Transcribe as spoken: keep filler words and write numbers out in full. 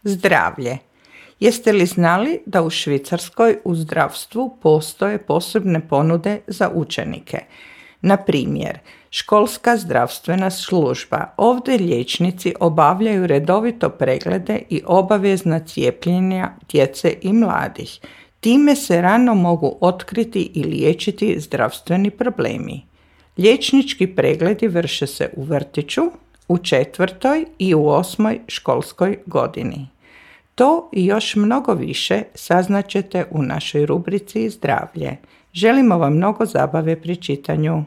Zdravlje. Jeste li znali da u Švicarskoj u zdravstvu postoje posebne ponude za učenike? Na primjer, školska zdravstvena služba. Ovdje liječnici obavljaju redovito preglede i obavezna cijepljenja djece i mladih. Time se rano mogu otkriti i liječiti zdravstveni problemi. Liječnički pregledi vrše se u vrtiću, u četvrtoj i u osmoj školskoj godini. To i još mnogo više saznaćete u našoj rubrici Zdravlje. Želimo vam mnogo zabave pri čitanju.